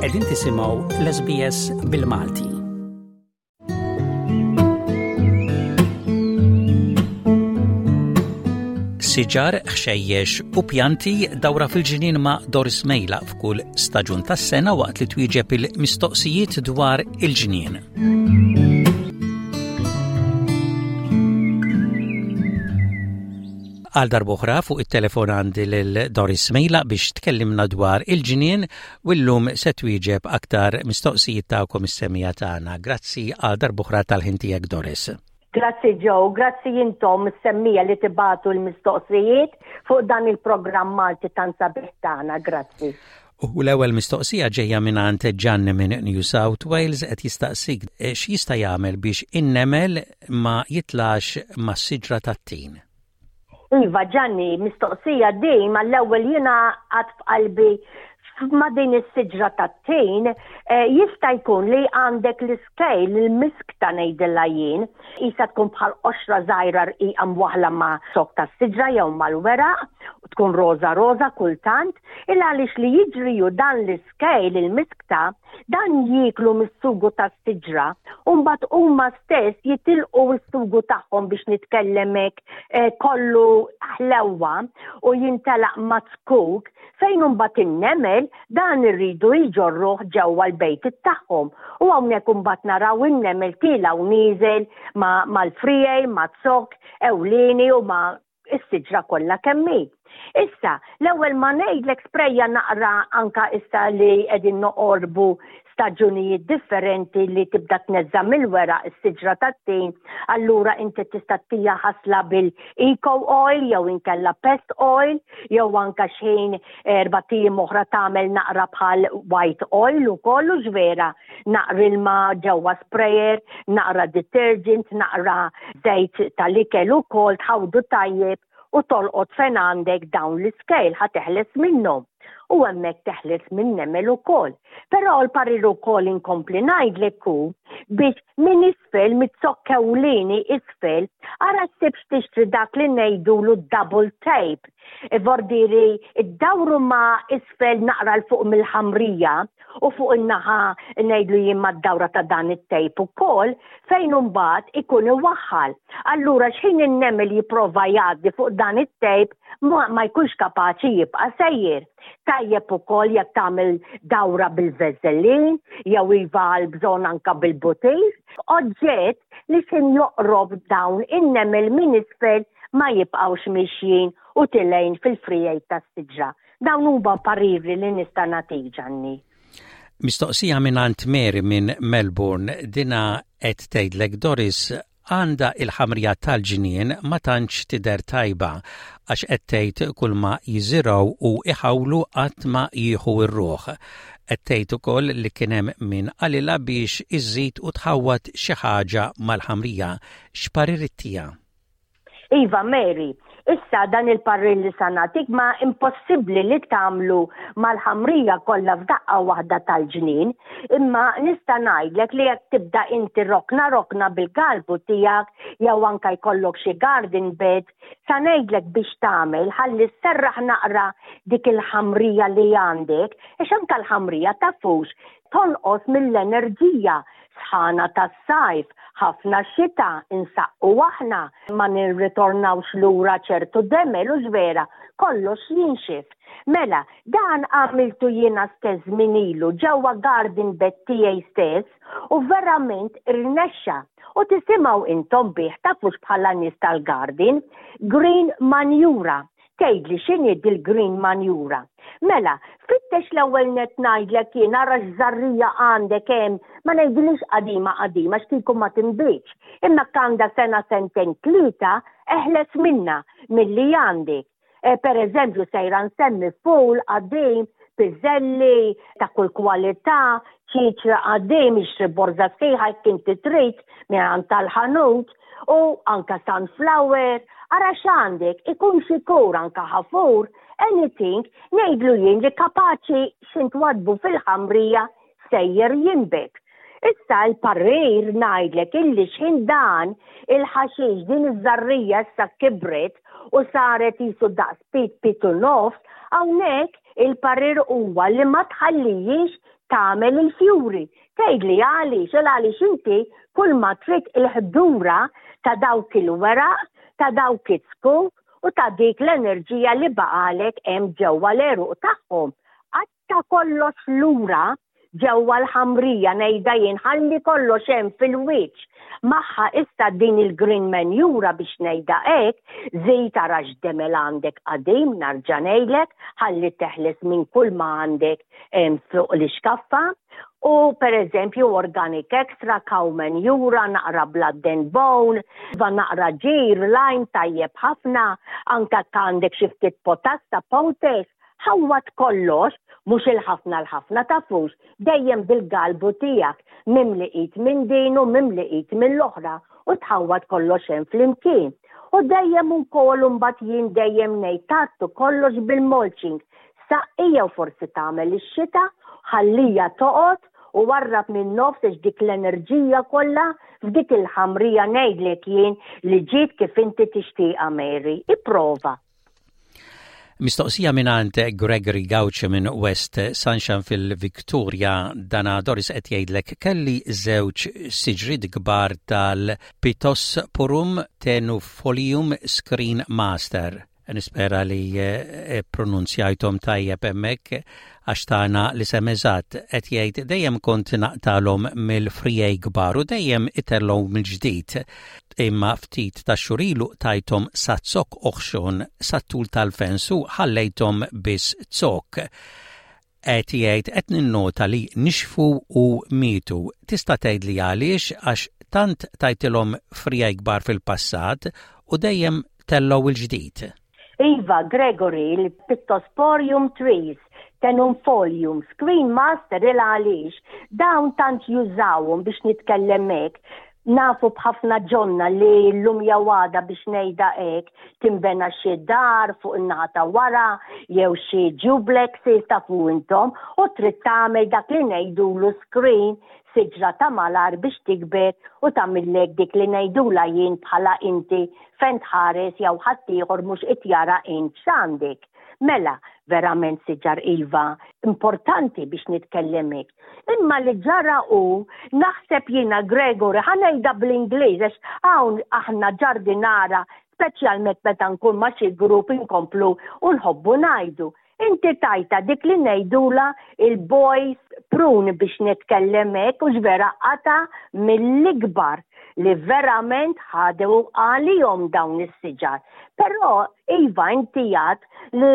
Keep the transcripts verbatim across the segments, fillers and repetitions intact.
Qegħdin tisimgħu l-S B S bil-Malti. Siġar, ħxejjex u pjanti, dawra fil-ġnien ma' Doris Mejla f'kull staġun tas-sena waqt li twieġeb il-mistoqsijiet dwar il-ġnien. Għal darb'oħra fuq it-telefon għandi lil Doris Mejla biex tkellimna dwar il-ġnien u llum se twieġeb aktar mistoqsijiet tagħkom is-semmiegħa tagħna. Grazzi għal darb'oħra tal-ħin tiegħek, Doris. Grazzi Joe, grazzi intom is-semmiegħa li tibagħtu l-mistoqsijiet fuq dan il-programm Malti tant sabiħ tagħna, grazzi. U l-ewwel mistoqsija ġejja mingħand Gianni minn New South Wales, qed jistaqsik x'jista' jagħmel biex in-nemel ma jitlax mas-siġra tat-tin. Iva Gianni, mistoqsija din mal-ewwel jiena għad f'qalbi ma' din is-siġra tat-tin, eh, jista' jkun li għandek l-scale, il-miskta ngħidilha jien, isa tkun bħal qoxra żgħira rqiqa mwaħla ma' zokk tas-siġra jew mal-weraq, tkun roża roża kultant, il għaliex li jiġri ju dan l-scale, il-miskta, dan jieklu mis-sugu tas-siġra, u mbagħad huma stess jitilqu s-sugu tagħhom, biex nitkellemek eh, kollu ħlewwa, u jintelaq ma' zkuk fejn imbagħad in-nemel dan irridu jġorruh ġewwa l-bejt tagħhom. U hawnhekk imbagħad naraw in-nemel tiela' u nieżel mal-friegħi, ma' zokk ewlieni u ma' is-siġra kollha kemm hi. Issa, l-ewwel ma ngħidlek sprejja naqra, anka issa li qegħdin noqorbu staġunijiet differenti li tibda tneżża mill-weraq is-siġra tat-tin, allura inti tista' ttiha ħasla bil-eco oil jew inkella pest oil, jew anka xejn erbat ijiem oħra tagħmel naqra bħal white oil u kollu ġvera, naqra ilma ġewwa sprayer, naqra detergent, naqra żejt tal-ikel ukoll, tħawdu tajjeb u tolqot fejn għandek dawn l-scale, ħa teħles minnhom u hemmhekk teħles minn nemel ukoll. Però l-parir ukoll inkompli ngħidlek hu biex minn isfel, miz-zokk ewlieni isfel, ara ssibx tixtri dak li ngħidulu double tape. Vordiri, id-dawru ma isfel naqra 'l fuq mill-ħamrija u fuq in-naħa, ngħidlu jien, mad-dawra ta' dan it-tape ukoll fejn imbagħad ikun iwaħħal. Allura x'ħin in-nemel jipprova jgħaddi fuq dan it-tape ma, ma jkunx kapaċi jibqa' sejjer. Tajjeb ukoll jekk tagħmel dawra bil-Vaseline jew iva għal bżonn anka bil-butir. Oġġett li x'ħin joqrob dawn in-nemel minn isfel ma jibqgħux mixjin u tilgħin fil-friegħi tas-siġra. Dawn huma pariri li nista' nagħtik, Ġanni. Mistoqsija minn Mary minn Melbourne, dina qed tgħidlek, Doris, għandha il-ħamrija tal-ġnien ma tantx tidher tajba għax qed tgħid kull ma jiżirgħu u iħawlu qatt ma jieħu r-ruħ. Qed tgħid ukoll li kien hemm min qalilha biex iżid u tħawwad xi ħaġa mal-ħamrija. X'parir ittiha? Iva Mary, issa dan il-parir li sa nagħtik ma impossibbli li tagħmlu mal-ħamrija kollha f'daqqa waħda tal-ġnien, imma nista' ngħidlek li jekk tibda inti rokna rokna bil-galbu tiegħek jew anka jkollok xi garden bed, sa ngħidlek biex tagħmel ħalli sserraħ naqra dik il-ħamrija li għandek, għax anka l-ħamrija tafux tonqos mill-enerġija, sħana tas-sajf, ħafna xita, insaqqu aħna, ma nirritornawx lura ċertu demel u ġvera, kollox jinxif. Mela, dan għamiltu jiena stess minn ilu ġewwa garden bed tiegħi stess u verament irnexxa. U tisimgħu intom bih, tafux bħala nies tal-garden, green manure. Tgħidli x'inhi dil-green manure? Mela, fittex, l-ewwel net ngħidlek jien ara x'żarrija għandek hemm, ma ngħidilix qadima qadima x'kieku ma tinbitx, imma għandha sena, sentejn, tlieta, eħles minna milli għandek. E, per eżempju, sejra nsemmi ful qadim, piżelli ta' kull kwalità, ċiċra qadim, ixtri borza sħiħa jekk inti trid minn tal-ħanut, u anka sunflower, ara x'għandek, ikun xikur, anka ħafur, anything, ngħidlu jien li kapaċi x'intwadbu fil-ħamrija sejjer jinbet. Issa l-parir ngħidlek illi x'ħin dan il-ħaxix, din iż-żarrija issa kibret u saret jisu daqs pit, pit u nofs, hawnhekk il-parir huwa li ma tħallijiex Tagħmel il-fjuri. Tgħidli għaliex, għaliex inti kull ma trid il-ħdura ta' dawk il-weraq, ta' dawk it-zkuk u ta' dik l-enerġija li baqalek hemm ġewwa l-għeruq tagħhom. Qatta' kollox lura ġewwa l-ħamrija, ngħidha jien, ħalli kollox hemm fil-wiċċ. Magħha issa din il-green manure, biex ngħidha hekk, żid ara x'demel għandek qadim, narġa' ngħidlek, ħalli teħles minn kull ma għandek fuq l-iskaffa. U per eżempju organic extra, cow manure, naqra blood and bone, va naqra ġir, lime tajjeb ħafna, anka għandek xi ftit potassa, potash, ħawwat kollox, mhux il-ħafna l-ħafna tafux, dejjem bil-galbu tiegħek, mimli id minn din u mimli id mill-oħra u tħawwat kollox hemm flimkien. U dejjem ukoll mbagħad jien dejjem ngħid tgħattu kollox bil-mulching. Saqqi jew forsi tagħmel ix-xita, ħallija toqgħod u warrab minn nofs dik l-enerġija kollha f'dik il-ħamrija, ngħidlek jien li ġiet kif inti tixtieqha, Mary. Ipprova. Mistoqsija mingħand Gregory Gauch minn West Sunshine fil-Victoria. Dana, Doris, qed jgħidlek kelli żewġ siġriet kbar tal-Pittosporum tenuifolium Screen Master. Nispera li eh, pronunzjajthom tajjeb hemmhekk għax tana l-isem eżatt. Qed jgħid dejjem kont naqtalhom mill-friegħi kbar u dejjem itellgħu mill-ġdid. Imma ftit ta' xhur ilu tajthom sa zokk oħxon sat-tul tal-fence u ħallejthom biss zokk. Qed jgħid qed ninnota li nixfu u mietu. Tista' tgħidli għaliex, għax tant tajtilhom friegħi kbar fil-passat u dejjem tellgħu il-ġdid? Iva, Gregory, il-Pittosporium trees, tenuifolium, Screen Master, il għaliex, dawn tant jużawhom, biex nitkellem hekk, nafu b'ħafna ġonna li l-lum jawada, biex ngħidha hekk, timbena xi dar fuq in-naħa ta' wara jew xi duplex, tafu intom, u trid tagħmel dak li ngħidulu screen, siġra ta' malar biex tikber u tagħmillek dik li ngħidula jien bħala inti fejn tħares jew ħaddieħor mhux qed jara int x'għandek. Mela, verament siġar iva importanti, biex nitkellem hekk. Imma li ġara u naħseb jiena, Gregory, ħa ngħidha bl-Ingliż għax hawn aħna ġardinara, speċjalment meta nkun ma' xi grupp, inkomplu u nħobbu ngħidu. Inti tajta dik li ngħidula il-boys prune, biex nitkellem hekk, u vera qata mill-ikbar li verament ħadew għalihom dawn is-siġar. Però iva, inti għedt li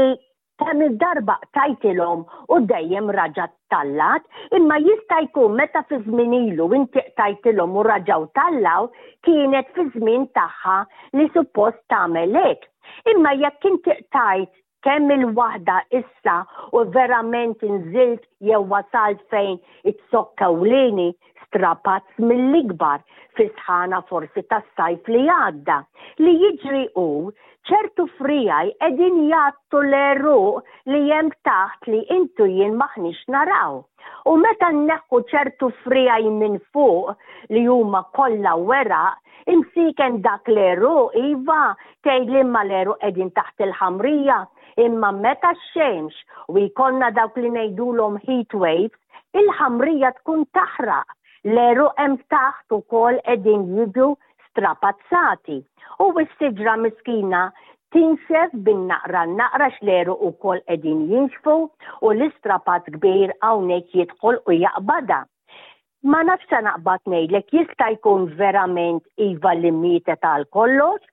kemm il-darba tajtilhom u dejjem raġat tallat, imma jista' jkun meta fi żmien ilu inti tajtilhom u raġaw tallaw, kienet fi żmien tagħha li suppost tagħmel hekk. Imma jekk inti tajt kemm il-waħda issa u verament inżilt jew wasalt fejn it-zokk ewlieni strapazz mill-ikbar fi sħana forsi tas-sajf li għadda. Li jiġri u ċertu friegħi qegħdin jgħattu l-għeruq li hemm taħt li intu jien m'aħniex naraw. U meta nneħħu ċertu friegħi minn fuq li huma kollha weraq, imsiken dak l-għeruq, iva, tgħid li imma l-għeruq qegħdin taħt il-ħamrija, imma meta x-xemx u jkollna dawk li ngħidulhom heat waves, il-ħamrija tkun taħraq. L-għeruq hemm taħt ukoll qegħdin jiġu strapazzati. U s-siġra miskina tinxef bin-naqra naqra, l-għeruq ukoll qegħdin jinxfu u l-istrapazz kbir hawnhekk jidħol u jaqbada. Ma nafx, naqbad ngħidlek, jista' jkun verament iva li mietet għal kollox,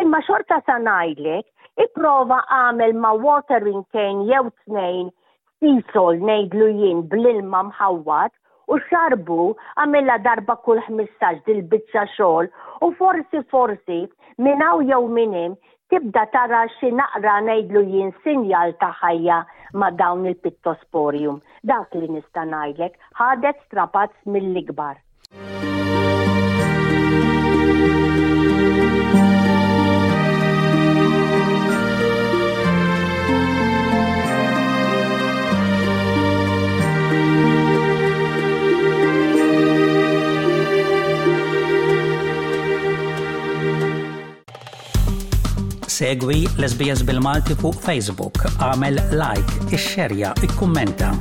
imma xorta sa ngħidlek ipprova għamel ma' watering can jew tnejn Seasol, ngħidlu jien, bl-ilma mħawwad u xarbu, għamilha darba kull ħmistax dil-biċċa xogħol u forsi forsi minn hawn jew minn hemm tibda tara xi naqra, ngħidlu jien, sinjal ta' ħajja ma' dawn il-pittosporium. Dak li nista' ngħidlek, ħadet strapazz mill-ikbar. Segwi l-S B S bil-Malti fuq Facebook, għamel like, ixxerja, ikkummenta.